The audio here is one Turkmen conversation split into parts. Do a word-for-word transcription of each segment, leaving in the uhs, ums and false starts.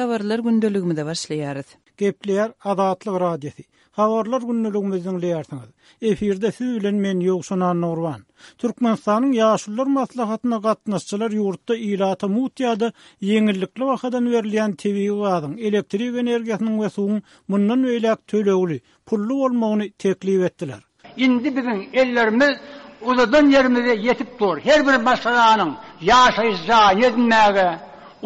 Habarlar gündeligimize başlaýarys. Gepleýär Azatlyk Radiosy. Habarlar gündeligimizi diňleýärsiňiz. Efirde siz bilen men Ýowşan Annagurban. Türkmenistanyň Ýaşulular maslahatyna gatnaşyjylar ýurtda ilata mugt ýa-da ýeňillikli bahadan berilýän tebigy gazyň, elektrik energiýasynyň we suwuň mundan beýläk tölegli, pully bolmagyny teklip etdiler. Indi biziň ellerimiz uzadan ýerimize ýetip dur. Her bir maşgalanyň ýaşaýyş jaýyny edinmäge,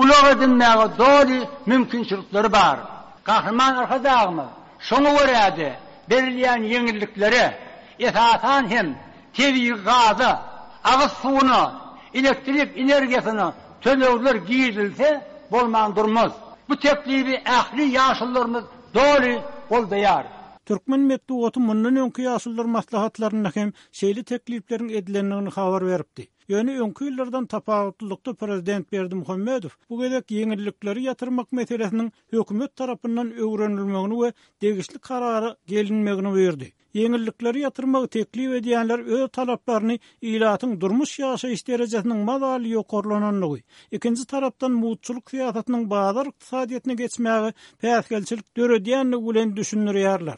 ulag edinmäge doly mümkinçilikleri bar. Gahryman Arkadagymyz şoňa görä-de berilýän ýeňilliklere, esasan hem tebigy gaza, agyz suwuna, elektrik energiýasyna tölegler girizilse bolman durmaz. Bu teklibi ähli ýaşulularymyz doly goldaýar. Türkmen metbugaty mundan öňki ýaşulular maslahatlarynda hem şeýle teklipleriň edilendigini habar beripdi. Ýöne öňki ýyllardan tapawutlylykda prezident Berdimuhamedow bu gezek ýeňillikleri ýatyrmak meselesiniň hökümet tarapyndan öwrenilmegini we degişli karara gelinmegini buýurdy. Ýeňillikleri ýatyrmagy teklip edýänler öz talaplaryny ilatyň durmuş ýaşaýyş derejesiniň mazaly ýokarlanandygy, ikinji tarapdan mugtçulyk syýasatynyň bazar ykdysadyýetine geçmäge päsgelçilik döredýändigi bilen düşündirýärler.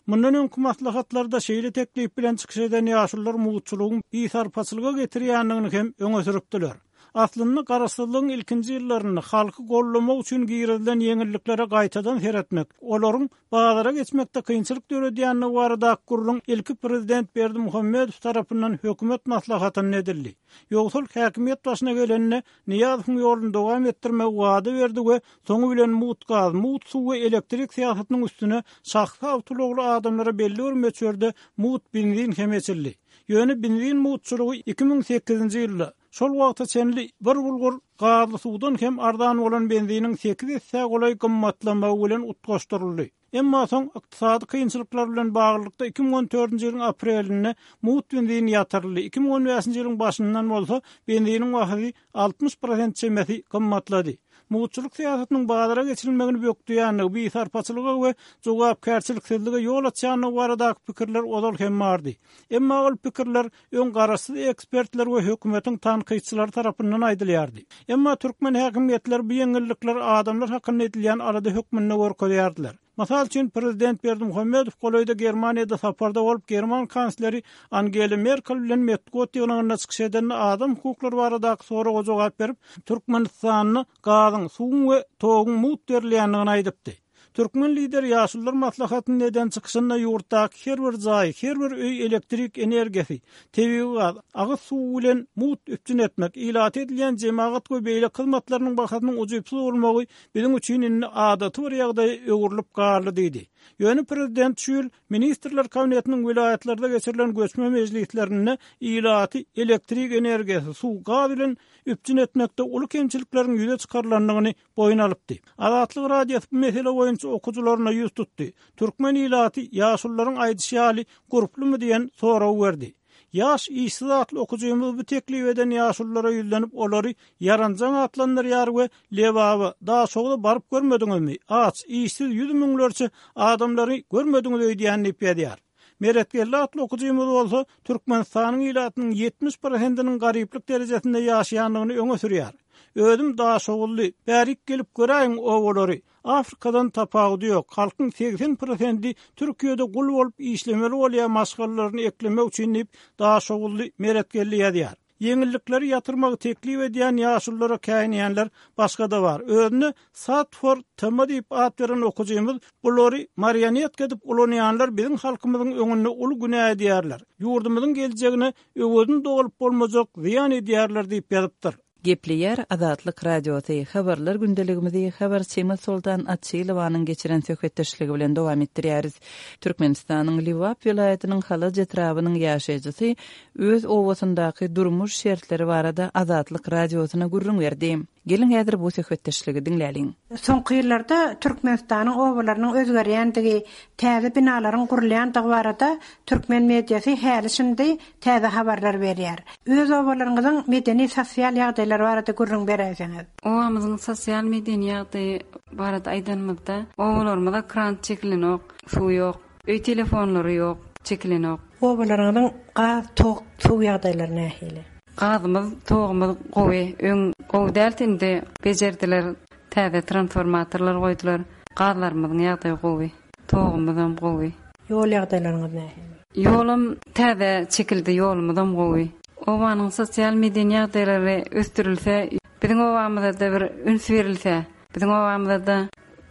Mundan öňki maslahatlarda şeýle teklip bilen çykyş eden ýaşulular mugtçulygyň bisarpaçylyga getirýändigini hem öňe sürüpdiler. Aslynda Garaşsyzlygyň ilkinji ýyllarynda halky gollamak üçin girizilen ýeňilliklere gaýtadan seretmek, olaryň bazara geçmekde kynçylyk döredýändigi baradaky gürrüň ilki prezident Berdimuhamedow tarapyndan hökümet maslahatynda edildi. Ýogsal häkimiýet başyna gelende Nyýazowyň ýoluny dowam etdirmegi wada berdi we soňy bilen mugt gaz, mugt suw we elektrik syýasatynyň üstüne şahsy awtoulagly adamlara belli bir möçberde mugt benzin hem eçildi. Ýöne benzin mugtçulygy iki müň sekizinji ýylda şol wagta çenli bir bulgur gazly suwdan hem arzan bolan benziniň sekiz esse golaý gymmatlamagy bilen utgaşdyryldy. Emma soň ykdysady kynçylyklar bilen baglylykda iki müň on dördünji ýylyň aprelinde mugt benzin ýatyryldy, iki müň on bäşinji ýylyň başyndan bolsa benziniň bahasy altmyş prosent çemesi gymmatlady. Mugtçulyk syýasatynyň bazara geçirilmegini bökdeýändigi, bisarpaçylyga we jogapkärçiliksizlige ýol açýandygy baradaky pikirler ozal hem bardy. Emma ol pikirler öň garaşsyz ekspertler we hökümetiň tankytçylary tarapyndan aýdylýardy. Emma türkmen häkimiýetleri bu ýeňillikler adamlar hakynda edilýän alada hökmünde görkezýärdiler. Mysal üçin prezident Berdimuhamedow golaýda Germaniýada saparda bolup, German kansleri Angela Merkel bilen metbugat ýygnagynda çykyş edende adam hukuklary baradaky soraga jogap berip, Türkmenistanda gazyň, suwuň we toguň mugt berilýändigini aýdypdy. Türkmen lideri Ýaşulular maslahatynda eden çykyşynda ýurtdaky her bir jaý, her bir öý elektrik energiýasy, tebigy gaz, agyz suwy bilen mugt üpjün etmek, ilata edilýän jemagat we beýleki hyzmatlarynyň bahasynyň ujypsyz bolmagy biziň üçin indi adaty bir ýagdaýa öwrülip galdy diýdi. Ýöne prezident şu ýyl Ministrler Kabinetiniň welaýatlarda geçirilen göçme mejlislerinde ilaty elektrik energiýasy, suw, gaz bilen üpjün etmekde uly kemçilikleriň ýüze çykarylandygyny boýun alypdy. Azatlyk Radiosy bu mesele boýunça okujylaryna ýüz tutdy. Türkmen ilaty ýaşulularyň aýdyşy ýaly gurplumy diýen soragy berdi. Ýaş işsiz atly okujymyz bu teklip eden ýaşululara ýüzlenip, olary ýaranjaň atlandyrýar we Lebaba, Daşogza baryp görmediňizmi? Aç, işsiz ýüz müňlerçe adamlary görmediňiz öýdýän diýip ýazýar. Meretgeldi atly okujymyz bolsa Türkmenistanyň ilatynyň ýetmiş prosentiniň garyplyk derejesinde ýaşaýandygyny öňe sürýär. Özüm Daşoguzly, bärik gelip göräýiň obalary. Afrikadan tapawudy ýok. Halkyň segsen prosenti Türkiýede gul bolup işlemeli bolýar maşgalalaryny eklemek üçin diýip, Daşoguzly Meretgeldi ýazýar. Ýeňillikleri ýatyrmagy teklip edýän ýaşululara käýinýänler başga-da bar. Özüne Satfor T M diýip at beren okujymyz bulary marionetka edip ulanýanlar biziň halkymyzyň öňünde uly günä edýärler. Ýurdumyzyň geljegine öwezini dolup bolmajak zyýan edýärler diýip ýazypdyr. Gepleýär Azatlyk Radiosy. Habarlar gündeligimizi habarçymyz Soltan Açylowanyň geçiren söhbetdeşligi bilen dowam etdirýäris. Türkmenistanyň Lebap welaýatynyň Halaç etrabynyň ýaşaýjysy öz obasyndaky durmuş şertleri barada Azatlyk Radiosyna gürrüň berdi. Geliň häzir bu söhbetdeşligi diňläliň. Soňky ýyllarda Türkmenistanyň obalarynyň özgerýändigi, täze binalaryň gurulýandygy barada türkmen mediasy häli şindi täze habarlar berýär. Öz obalaryňyzyň medeni sosial ýagdaýlary barada gürrüň beräýseňiz. Obamyzyň sosial medeni ýagdaýy barada aýdanymyzda, obalarymyza krant çekilenok, suw ýok, öý telefonlary ýok, çekilenok. Obalaryňyzyň gaz, tok, suw ýagdaýlary nähili? Gazymyz, togumyz gowy, öň gowy däldi, indi bejerdiler. Täze transformatorlar goýdular. Gazlarymyzyň ýagdaýy gowy. Togumyzam gowy. Ýol ýagdaýlaryňyz nähili? Ýolum täze çekildi, ýolumyzam gowy. Obanyň sosial medeni ýagdaýlary ösdürilse, biziň obamyzda bir üns berilse, biziň obamyzda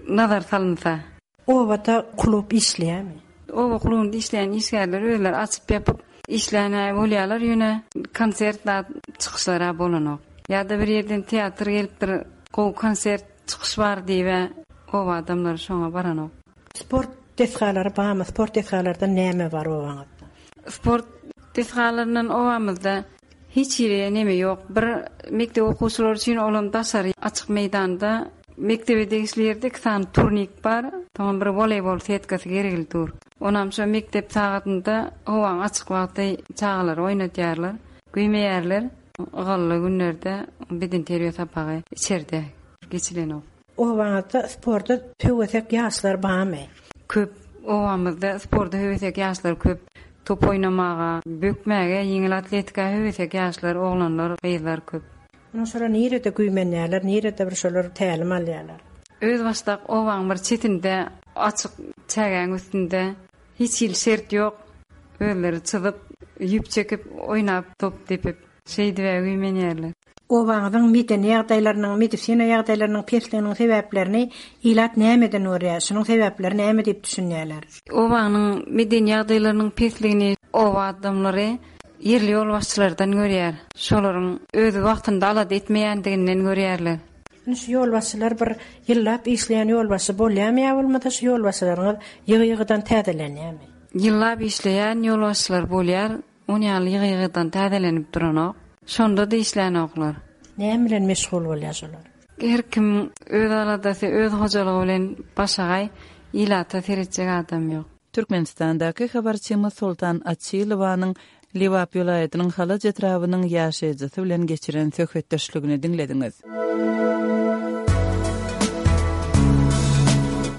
nazar salynsa. Obada klub işleýärmi? Oba klubunda işleýän işgärler özleri açyp ýapyp işleýän bolýarlar, ýöne konsert da çykyşlara bolanok. Ýa-da bir ýerden teatr gelipdir, gowy konsert çykyş bar diýip, oba adamlary şoňa baranok. Sport desgalary barmy? Sport desgalardan näme bar obaňyzda? Sport desgalaryndan obamyzda hiç ýere neme ýok. Bir mekdep okuwçylary üçin olan daşary açyk meýdanda mekdebe degişli ýerde iki sany turnik bar. Soňra bir voleybol setkasy gerekli dur. Onam şo mekdep sagatynda howaň açyk wagty çagalar oýnatýarlar, güýmeýärler. Ygally günlerde beden terbiýe sapagy içerde geçilenok. Obaňyzda sporta höwesek ýaşlar barmy? Köp obamyzda sporta höwesek ýaşlar köp. Top oýnamaga, bökmäge, ýeňil atletika höwesek ýaşlar, oglanlar, gyzlar köp. Munuň şolar nirede güýmenýärler, nirede bir şolar tälim alýarlar? Öz başdak obaň bir çetinde, açyk çägäň üstünde hiç hil şert ýok. Özleri çyzyp, ýüp çekip, oýnap, top depip, şeýdip güýmenýärler. Obaňyzyň medeni ýagdaýlarynyň, medisina ýagdaýlarynyň pesliginiň sebäplerini ilat nämeden görýär? Şunuň sebäpleri näme diýip düşünýärler? Obanyň medeni ýagdaýlarynyň pesligini oba adamlary ýerli ýolbaşçylardan görýär. Şolaryň öz wagtynda alada etmeýändiginden görýärler. Indi şu ýolbaşçylar bir ýyllap işleýän ýolbaşçy bolýarmy ýa bolmasa şu ýolbaşçylaryňyz ýygy-ýygydan täzelenýärmi? Ýyllap işleýän ýolbaşçylar bolýar, on ýaly ýygy-ýygydan täzelenip duranok. Şonda da işlänoklar. Näme bilen meşgul bolýar şolar? Her kim öz aladasy, öz hojalygy bilen başagaý, ilata seretjek adam ýok. Türkmenistandaky habarçymyz Soltan Açylowanyň Lebap welaýatynyň Halaç etrabynyň ýaşaýjysy bilen geçiren söhbetdeşligini diňlediňiz.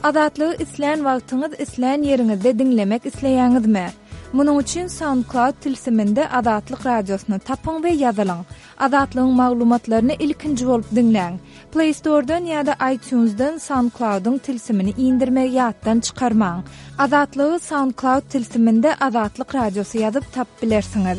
Azatlygy islän wagtyňyz, islän ýeriňizde diňlemek isleýäňizmi? Munuň üçin SoundCloud tilsiminde Azatlyk radiosyny tapyň we ýazylyň. Azatlygyň maglumatlaryny ilkinji bolup diňläň. Play Store'dan ýa-da iTunes'dan SoundCloud'yň tilsimini indirmegi ýatdan çykarmaň. Azatlygy SoundCloud tilsiminde Azatlyk radiosy ýazyp tapyp bilersiňiz.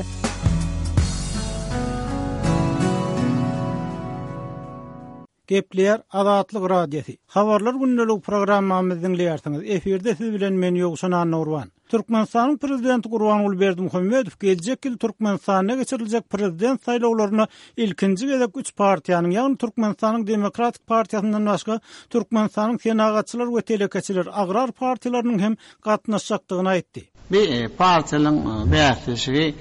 Gepleýär Azatlyk radiosy. Habarlar gündelik programmamyzy diňleýärsiňiz. Efirde siz bilen men Ýowşan Annurban. Türkmenistanyň prezidenti Gurbanguly Berdimuhamedow geljek ýyl Türkmenistanda geçiriljek prezident saýlawlaryna ilkinji gezek üç partiýanyň, ýagny Türkmenistanyň Demokratik partiýasyndan başga Türkmenistanyň Senagatçylar we Telekeçiler Agrar partiýalarynyň hem gatnaşjakdygyny aýtdy. Bir partiýalaryň bäsleşigi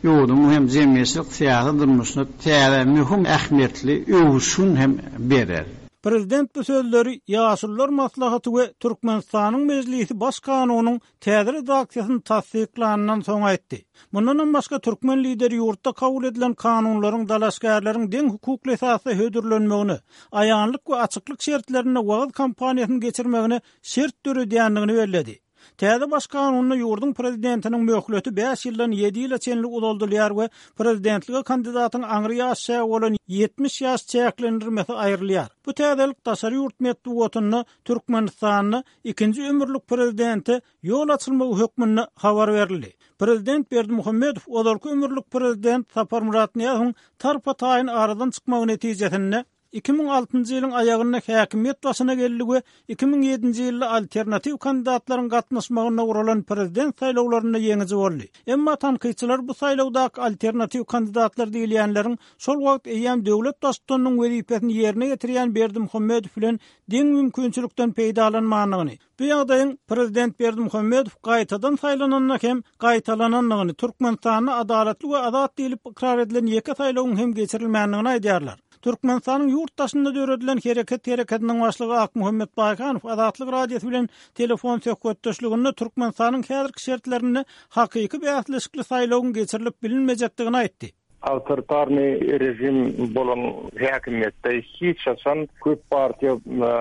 ýurduň hem jemgyýetçilik syýasy durmuşyna täze möhüm ähmiýetli öwüşgin hem berer. Prezident bu sözleri Ýaşulular maslahaty we Türkmenistanyň Mejlisi Baş kanunyň täze redaksiýasyny tassyklandan soň aýtdy. Mundan başga türkmen lideri ýurtda kabul edilen kanunlaryň dalaşgärleriň deň hukukly esasda hödürlenmegini, aýanlyk we açyklyk şertlerinde wagyz kampaniýasyny geçirmegine şert döredýändigini belledi. Täze baş kanunda ýurduň prezidentiniň möhleti bäş ýyldan ýedi ýyla çenli uzaldylýar we prezidentlige kandidatyň aňry ýaş çägi bolan ýetmiş ýaş çäklendirmesi aýrylýar. Bu täzelik daşary ýurt metbugatynda Türkmenistanda ikinji ömürlik prezidente ýol açylmagy hökmünde habar berildi. Prezident Berdimuhamedow ozalky ömürlik prezident Saparmyrat Nyýazowyň tarpa taýyn aradan çykmagy netijesinde iki müň altynjy ýylyň aýagynda häkimiýet başyna geldi we iki müň ýedinji ýylda alternatiw kandidatlaryň gatnaşmagynda guralan prezident saýlawlarynda ýeňiji boldy. Emma tankytçylar bu saýlawdaky alternatiw kandidatlar diýilýänleriň şol wagt eýýäm döwlet baştutanynyň wezipesini ýerine getirýän Berdimuhamedow bilen deň mümkinçilikden peýdalanmandygyny, bu ýagdaýyň prezident Berdimuhamedow gaýtadan saýlananda hem gaýtalanandygyny, Türkmenistanda adalatly we azat diýlip ykrar edilen ýeke saýlawyň hem geçirilmändigini aýdýarlar. Türkmenistanyň ýurt daşynda döredilen hereket hereketiniň başlygy Akmuhammet Baýhanow Azatlyk radiosy bilen telefon söhbetdeşliginde Türkmenistanyň häzirki şertlerinde hakyky bäsleşikli saýlawyň geçirilip bilinmejekdigini aýtdy. Awtoritarny rejim bolan häkimiýetde hiç haçan köp partiýa, e,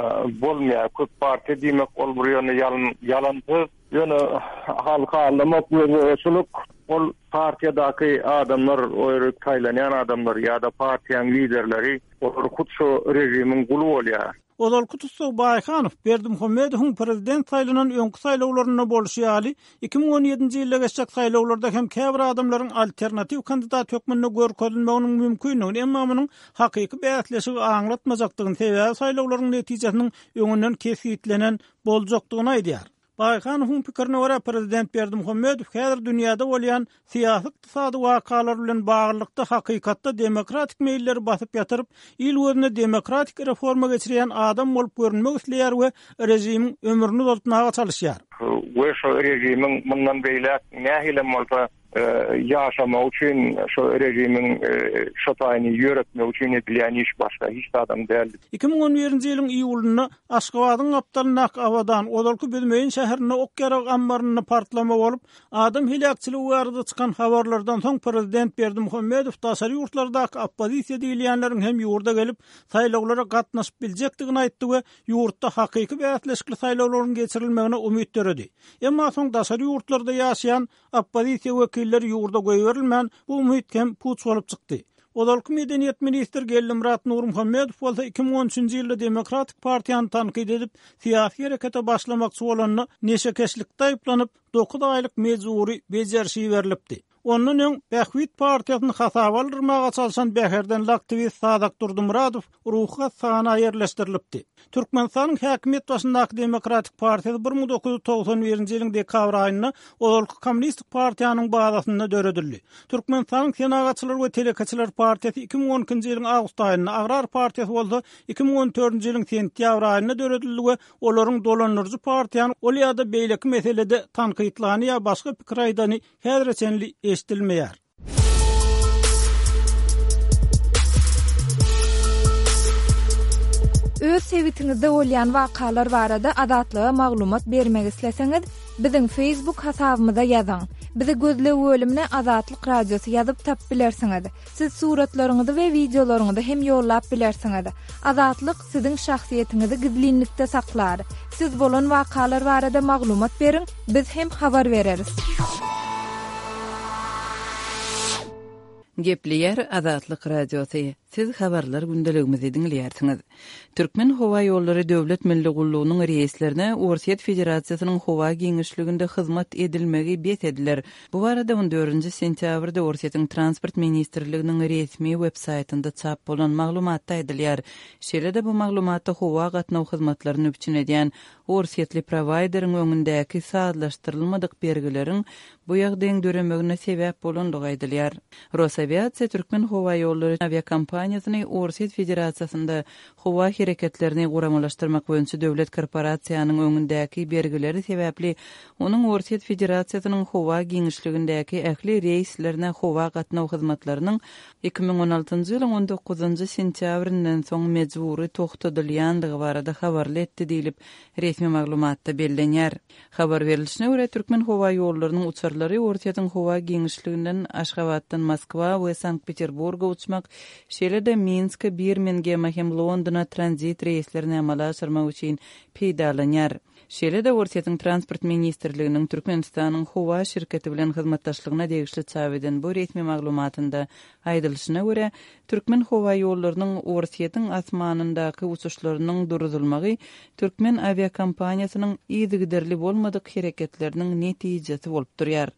bolmaýar. Köp partiýa diýmek ol bir ýöne ýalan, ýalan söz. Ýöne halka aldamak we zorçuluk ol partiýadaky adamlar, o ýere saýlanýan adamlar ýa-da partiýanyň liderleri olar hut şu rejimiň guly bolýar. Ozalky tussag Baýhanow Berdimuhamedowyň prezident saýlanan öňki saýlawlarynda bolşy ýaly, iki müň on ýedinji ýylda geçjek saýlawlarda hem käbir adamlaryň alternatiw kandidat hökmünde görkezilmeginiň mümkindigini, emma munuň hakyky bäsleşigi aňlatmajakdygyny, sebäbi saýlawlaryň netijesiniň öňünden kesgitlenen boljakdygyny aýdýar. Baýhanowyň pikirine görä, prezident Berdimuhamedow häzir dünýäde bolýan syýasy-ykdysady wakalar bilen baglylykda hakykatda demokratik meýilleri basyp ýatyryp, il gözünde demokratik reforma geçirýän adam bolup görünmek isleýär we režimiň ömrüni uzaltmaga çalyşýar. We şu režimiň mundan beýläk nähili bolsa, e, ýaşamak üçin, şu režimiň, e, şu taýyny ýöretmek üçin edilýän iş başga hiç adam däl. Iki müň on birinji ýylyň iýulynda Aşgabadyň gapdalyndaky Abadan, ozalky Büzmeýin şäherinde ok ýarag ammarynda partlama bolup, adam heläkçiligi barada çykan habarlardan soň prezident Berdimuhamedow daşary ýurtlardaky oppozisiýa diýilýänleriň hem ýurda gelip saýlawlara gatnaşyp biljekdigini aýtdy we ýurtda hakyky bäsleşikli saýlawlaryň geçirilmegine umyt döredi. Emma soň daşary ýurtlarda ýaşaýan oppozisiýa wekilleri ýurda goýberilmän, bu umyt hem puç bolup çykdy. Ozalky medeniýet ministri Geldimyrat Nurmuhammedow bolsa iki müň on üçünji ýylda Demokratik partiýany tankyt edip, syýasy herekete başlamakçy bolanda neşekeşlikde aýyplanyp, dokuz aýlyk mejbury bejerişi berilipdi. Ondan öň Bähbit partiýasyny hasaba aldyrmaga çalşan Bäherdenli aktiwist Sadak Durdumyradow ruhy hassahana ýerleşdirilipdi. Türkmenistanyň häkimiýet başyndaky Demokratik partiýasy bir müň dokuz ýüz togsan birinji ýylyň dekabr aýynda ozalky Kommunistik partiýanyň bazasynda döredildi. Türkmenistanyň Senagatçylar we Telekeçiler partiýasy iki müň on ikinji ýylyň awgust aýynda, Agrar partiýasy bolsa iki müň on dördünji ýylyň sentýabr aýynda döredildi we olaryň dolandyryjy partiýany ol ýa-da beýleki meselede tankytlany ýa başga pikir aýdany häzire çenli eşidilmeýär. Öz sebitiňizde bolýan wakalar barada Azatlyga maglumat bermek isleseňiz, biziň Facebook hasabymyza ýazyň. Bizi gözleg bölümine Azatlyk Radiosy ýazyp tap bilersiňiz. Siz suratlaryňyzy we wideolaryňyzy hem ýollap bilersiňiz. Azatlyk siziň şahsyýetiňizi gizlinlikde saklar. Siz bolan wakalar barada maglumat beriň, biz hem habar bereris. Gepleýär Azatlyk Radiosy. Siz habarlar gündeligimizi diňleýärsiňiz. Türkmen Howa Ýollary Döwlet Milli Gullugynyň reýislerine Orsýet Federasiýasynyň howa giňişliginde hyzmat edilmegi bes ediler. Bu barada on dördünji sentýabrda Orsýetiň Transport Ministrliginiň resmi web-saýtynda çap bolan maglumatda aýdylýar. Şeýle-de bu maglumatda howa gatnaw hyzmatlaryny üpjün edýän Orsýetli prowaýderiň öňündäki sazlaşdyrylmadyk bergileriň bu ýagdaýyň döremegine sebäp bolandygy aýdylýar. Rosaviatsiya Türkmen Howa Ýollary awiakompaniýasyny Orsýet Federasiýasynda howa hereketlerini guramalaşdyrmak boýunça döwlet korporasiýanyň öňündäki bergileri sebäpli onuň Orsýet Federasiýasynyň howa giňişligindäki ähli reýslerine howa gatnaw hyzmatlarynyň iki müň on altynjy ýylyň on dokuzynjy sentýabryndan soň mejbury toxtadylýandygy barada habarly etdi diýlip resmi maglumatda bellenýär. Habar berilişine görä Türkmen Howa Ýollarynyň uçarlary Orsýetiň howa giňişliginden Aşgabatdan Moskwa we Sankt-Peterburga uçmak, şeýle-de Minsk, Birmingeme hem Londona tranzit reýslerini amala aşyrmak üçin peýdalanýar. Şeýle-de Orsýetiň Transport Ministrliginiň Türkmenistanyň howa şirketi bilen hyzmatdaşlygyna degişli çap eden bu resmi maglumatynda aýdylyşyna görä, Türkmen Howa Ýollarynyň Orsýetiň asmanyndaky uçuşlarynyň duruzulmagy Türkmen awiakompaniýasynyň yzygiderli bolmadyk hereketleriniň netijesi bolup durýar.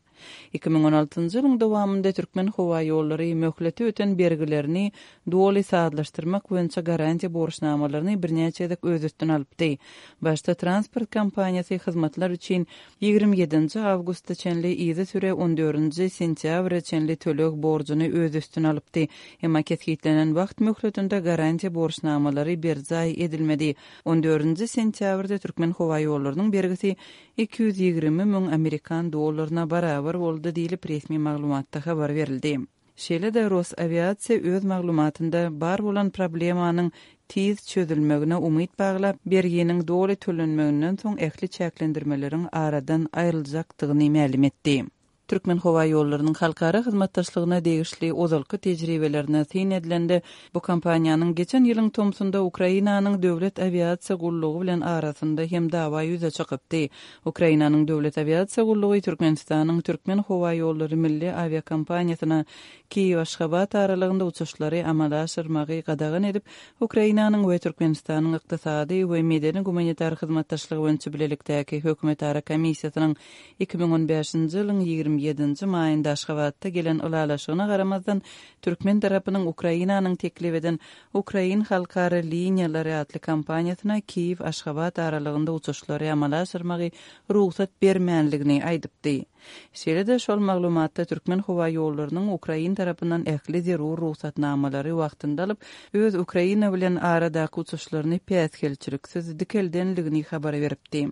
Iki müň on altynjy ýylyň dowamynda Türkmen Howa Ýollary möhleti öten bergilerini doly sazlaşdyrmak boýunça garantiýa borçnamalaryny birnäçe gezek öz üstüne alypdy. Başda transport kompaniýasy hyzmatlar üçin ýigrimi ýedinji awgustda çenli yzy süre on dördünji sentýabra çenli töleg borjuny öz üstüne alypdy. Emma kesgitlenen wagt möhletinde garantiýa borçnamalary berjaý edilmedi. On dördünji sentýabrda Türkmen Howa Ýollarynyň bergisi iki ýüz ýigrimi müň amerikan dollaryna barabar boldy diýlip resmi maglumatda habar berildi. Şeýle-de Rosaviatsiya öz maglumatynda bar bolan problemanyň tiz çözülmegine umyt baglap, berginiň doly tölenmeginden soň ähli çäklendirmeleriň aradan aýryljakdygyny mälim etdi. Türkmenhowaýollarynyň halkara hyzmatdaşlygyna degişli ozalky tejribelerine syn edilende, bu kompaniýanyň geçen ýylyň tomsunda Ukrainanyň Döwlet awiasiýa gullugy bilen arasynda hem dawa ýüze çykypdy. Ukrainanyň Döwlet awiasiýa gullugy Türkmenistanyň Türkmenhowaýollary milli awiakompaniýasyna Kiýew-Aşgabat aralygynda uçuşlary amala aşyrmagy gadagan edip, Ukrainanyň we Türkmenistanyň ykdysady we medeni-gumanitar hyzmatdaşlygy boýunça bilelikdäki hökümetara komissiýasynyň iki müň on bäşinji ýylyň ýigrimi ýedinji maýynda Aşgabatda gelen ylalaşygyna garamazdan, türkmen tarapynyň Ukrainanyň teklip eden Ukrain halkara liniýalary atly kompaniýasyna Kiýew-Aşgabat aralygynda uçuşlary amala aşyrmagy rugsat bermänligini aýdypdy. Şeýle-de şol maglumatda Türkmenhowaýollarynyň ukrain tarapyndan ähli zerur rugsatnamalary wagtynda alyp, öz Ukraina bilen aradaky uçuşlaryny päsgelçiliksiz dikeldenligini habar beripdi.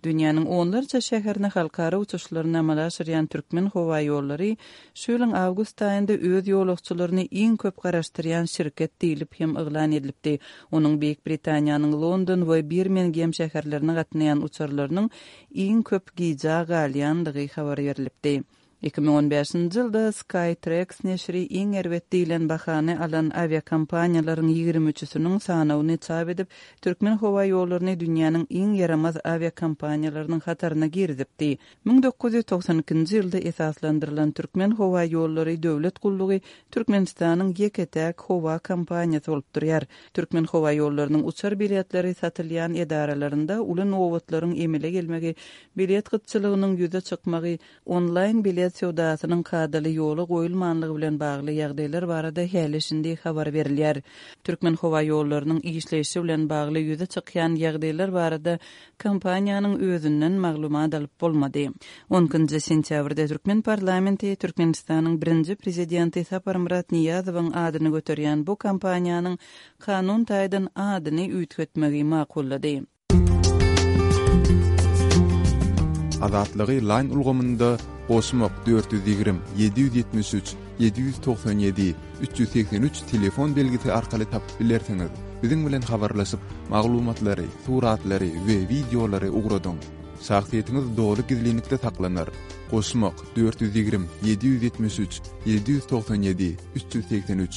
Dünýäniň onlarça şäherine halkara uçuşlaryny amala aşyrýan Türkmenhowaýollary şu ýylyň awgust aýynda öz ýolagçylaryny iň köp garaşdyrýan şirket diýlip hem yglan edilipdi. Onuň Beýik Britaniýanyň London we Birmingem şäherlerine gatnaýan uçarlarynyň iň köp gijä galýandygy habar berlipdi. Iki müň on bäşinji ýylda Skytrax neşiri iň erbet diýlen bahany alan awiakompaniýalaryň ýigrimi üçüsiniň sanawyny çap edip, Türkmenhowaýollaryny dünýäniň iň ýaramaz awiakompaniýalarynyň hataryna girizipdi. Müň dokuz ýüz togsan ikinji ýylda esaslandyrylan Türkmenhowaýollary döwlet gullugy Türkmenistanyň ýeke-täk howa kompaniýasy bolup durýar. Türkmenhowaýollarynyň uçar biletleri satylýan edaralarynda uly nobatlaryň emele gelmegi, bilet gytçylygynyň ýüze çykmagy, onlaýn bilet söwdasynyň kadaly ýola goýulmanlygy bilen bagly ýagdaýlar barada häli-şindi habar berilýär. Türkmenhowaýollarynyň işleýşi bilen bagly ýüze çykýan ýagdaýlar barada kompaniýanyň özünden maglumat alyp bolmady. On ikinji sentýabrda türkmen parlamenti Türkmenistanyň birinji prezidenti Saparmyrat Nyýazowyň adyny göterýän bu kompaniýanyň kanun taýdan adyny üýtgetmegi makullady. Azatlygy Line ulgamynda goşmak dört ýüz ýigrimi, ýedi ýüz ýetmiş üç, ýedi ýüz togsan ýedi, üç ýüz segsen üç telefon belgisi arkaly tapyp bilersiňiz. Biziň bilen habarlaşyp, maglumatlary, suratlary we wideolary ugradyň. Şahsyýetiňiz doly gizlinlikde saklanar. Goşmak dört ýüz ýigrimi, ýedi ýüz ýetmiş üç, ýedi ýüz togsan ýedi, üç ýüz segsen üç.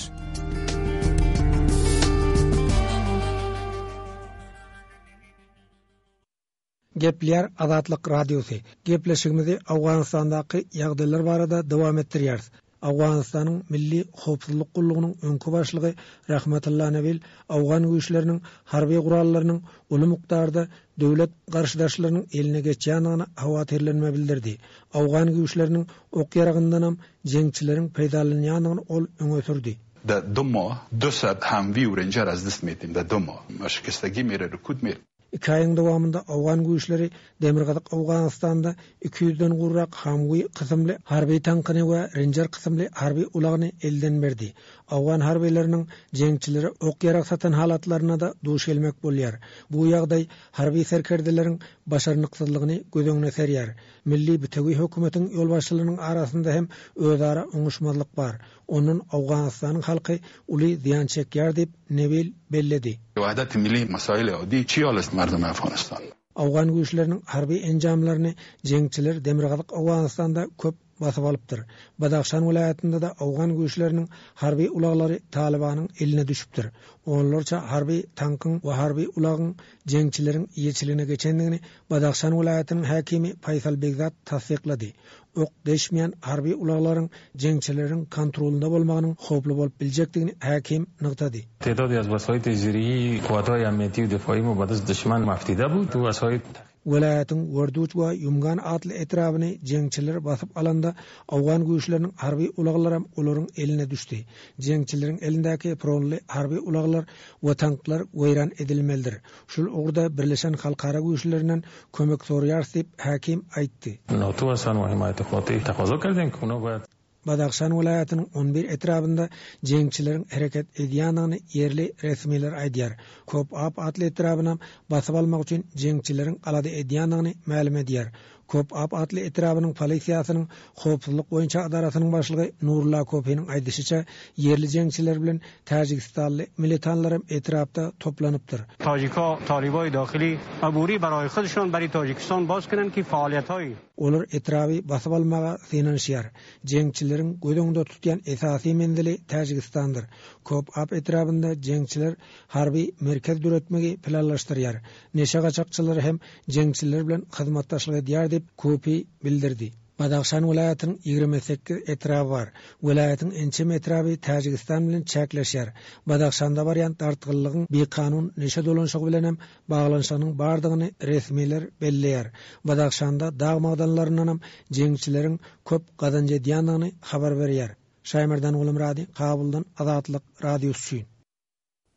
Gepleýär Azatlyk Radiosy. Gepleşigimizi Owganystandaky ýagdaýlar barada dowam etdirýäris. Owganystanyň Milli Howpsuzlyk Gullugynyň öňki başlygy Rahmatullah Nabil Owgan güýçleriniň harby gurallarynyň uly mukdarda döwlet garşydaşlarynyň eline geçýändigini howatyrlanma bildirdi. Owgan güýçleriniň ok ýaragyndanam jeňçileriň peýdalanýandygyny ol öňe sürdi. Da duma, dösat ham viwren jaraz dismetim da duma. Aşkestagi mere rukut mer. Iki aýyň dowamynda Owgan güýçleri Demirgazyk Owganystanda iki ýüzden gurrak Hamwi kysymly harby tankyny we Ranger kysymly harby ulagyny elden berdi. Owgan harbylarynyň jeňçilere ok ýarag satan halatlaryna da duş gelmek bolýar. Bu ýagdaý harby serkerdeleriň başarnyksyzlygyny göz öňüne serýär. Milli bitewi hökümetiň ýolbaşçylarynyň arasynda hem özara oňuşmazlyk bar. Ondan Owganystanyň halky uly zyýan çekýär diýip Nebil belledi. Wahdat milli masail adi çi alest merdum Afganistan. Owgan güýçleriniň harby enjamlaryny jeňçiler Demirgazyk Owganystanda köp basyp alypdyr. Badahşan welaýatynda da Owgan güýçleriniň harby ulaglary Talibanyň eline düşüpdir. Onlarça harby tankyň we harby ulagyň jeňçileriň eýeçiligine geçendigini Badahşan welaýatynyň häkimi Faýsal Begzat tassyklady. Ok deşmeýän harby ulaglaryň jeňçileriň kontrolunda bolmagynyň howply bolup biljekdigini häkim nygtady. Tedad az wasaýt zirihi kuwatay amniyeti difai mubadaz düşman maftida bu tu wasaýt Welaýatyň Werduç we Ýumgan atly etrabyny jeňçiler basyp alanda Owgan güýçleriniň harby ulaglaram olaryň eline düşdi. Jeňçileriň elindäki pronly harby ulaglar we tanklar weýran edilmelidir. Şul ugurda Birleşen Halkara güýçlerinden kömek soraýar diýip häkim aýtdy. NATO we san himaýat hoti taqozo kerdin kuno we Badahşan welaýatynyň on bir etrabynda jeňçileriň hereket edýändigini ýerli resmiler aýdýar. Kop Ap atly etrabyna basyp almak üçin jeňçileriň alada edýändigini mälim edýär. Köp Ap atly etrabynyň polisiýasynyň howpsuzlyk boýunça edarasynyň başlygy Nurullah Kopiniň aýdyşyça, ýerli jeňçiler bilen täjigistanly militanlar hem etrapda toplanypdyr. Tajika talibai dakhili عبوری برای خودشان برای Tajikistan باز کنند ki faaliýethaý Olar etraby basyp almaga synanyşýar. Jeňçileriň göz öňünde tutýan esasy menzili Täjigistandyr. Köp Ap etrabynda jeňçiler harby merkez döretmegi planlaşdyrýar. Neşe gaçakçylary hem jeňçiler bilen hyzmatdaşlyk edýär diýip Kopi bildirdi. Badakşan welaýatynyň ýigrimi sekiz etraby bar. Welaýatyň ençeme etraby Täjigistan bilen çäkleşýär. Badakşanda barýan dartgynlygyň bikanun neşe dolanşygy bilen hem baglanyşygynyň bardygyny resmiler belleýär. Badakşanda dag magdanlaryndan hem jeňçileriň köp gazanç edýändigini habar berýär. Şaýmerdan Gulumrady, Kabuldan Azatlyk Radiosy üçin.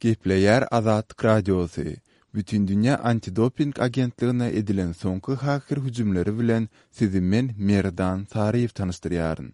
Gepleýär Azatlyk Radiosy. Bütindünýä antidoping agentligine edilen soňky haker hüjümleri bilen sizi men Merdan Saryýew tanyşdyrýaryn.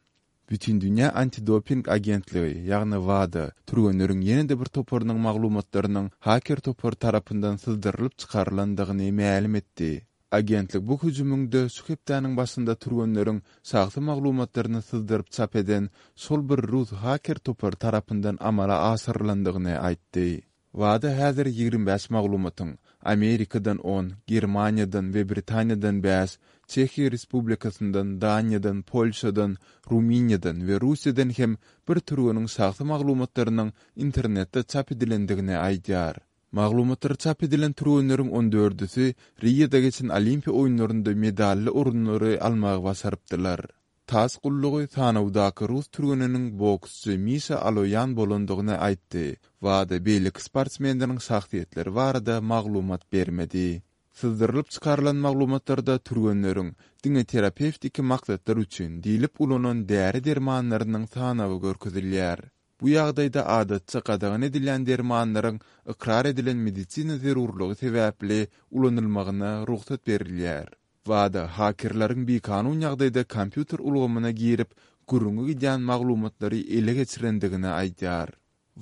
Bütindünýä antidoping agentligi, ýagny WADA, türgenleriň ýene-de bir toparynyň maglumatlarynyň haker topary tarapyndan syzdyrylyp çykarylandygyny mälim etdi. Agentlik bu hüjümiňde şu hepdäniň başynda türgenleriň şahsy maglumatlaryny syzdyryp çap eden şol bir rus haker topary tarapyndan amala aşyrylandygyny aýtdy. WADA häzir ýigrimi bäş maglumatyň Amerikadan on, Germaniýadan we Britaniýadan bäş, Çehiýa Respublikasyndan, Daniýadan, Polşadan, Rumyniýadan we Russiýadan hem bir türgeniň şahsy maglumatlarynyň internetde çap edilendigini aýdýar. Maglumatlary çap edilen türgenleriň on dördüsi Riýada geçen Olimpiýa oýunlarynda medally orunlary almagy başarypdylar. TASS gullugy sanawdaky rus türgeniniň boksçy Mişa Aloýan bolandygyny aýtdy. WADA beýleki sportsmenleriň şahsyýetleri barada maglumat bermedi. Syzdyrylyp çykarylan maglumatlarda türgenleriň diňe terapewtiki maksatlar üçin diýlip ulanan däri dermanlarynyň sanawy görkezilýär. Bu ýagdaýda adatça gadagan edilýän dermanlaryň ykrar edilen medisina zerurlygy sebäpli ulanylmagyna rugsat berilýär. WADA hakerleriň bikanun ýagdaýda kompýuter ulgamyna girip, gürrüňi gidýän maglumatlary ele geçirendigini aýdýar.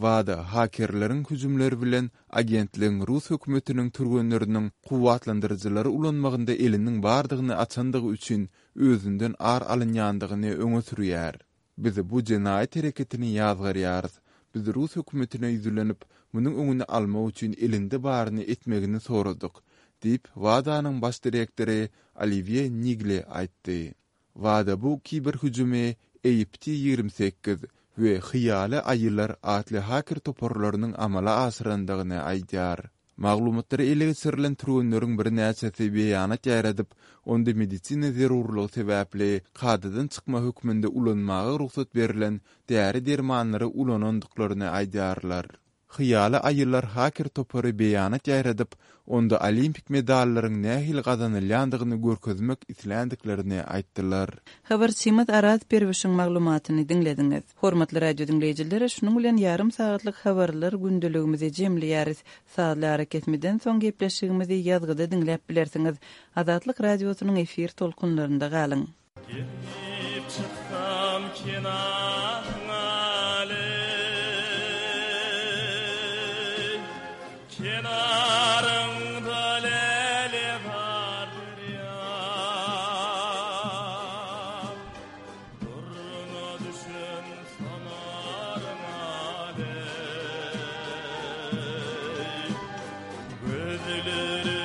WADA hakerleriň hüjümleri bilen agentligiň rus hökümetiniň türgenleriniň kuwwatlandyryjylary ulanmagynda eliniň bardygyny açandygy üçin özünden ar alynýandygyny öňe sürýär. Biz bu jenaýat hereketini ýazgarýarys. Biz rus hökümetine ýüzlenip, munuň öňüni almak üçin elinde baryny etmegini soradyk, diýip WADA-nyň baş direktory Olivier Nigle aýtdy. WADA bu kiber hüjümi A P T ýigrimi sekiz we Hyýaly aýylar atly haker toparlarynyň amala aşyrandygyny aýdýar. Maglumatlary ele geçirilen türgenleriň birnäçesi beýanat ýaýradyp, onda medisina zerurlygy sebäpli kadadan çykma hökmünde ulanmaga rugsat berlen däri dermanlary ulanandyklaryny aýdýarlar. Hyýaly aýylar haker topary beýanat ýaýradyp, onda olimpik medallaryň nähili gazanylýandygyny görkezmek isländiklerini aýtdylar. Habarçymyz Araz Perwişiň maglumatyny diňlediňiz. Hormatly radio diňleýjiler, şunuň bilen ýarym sagatlyk habarlar gündeligimizi jemleýäris. Sazly arakesmeden soň gepleşigimizi ýazgyda diňläp bilersiňiz. Azatlyk radiosynyň efir tolkunlarynda galyň. Gelip çyksam kenaryňa Kenarında lele var derya. Duruna düşün sanarım aley. Gözlerimi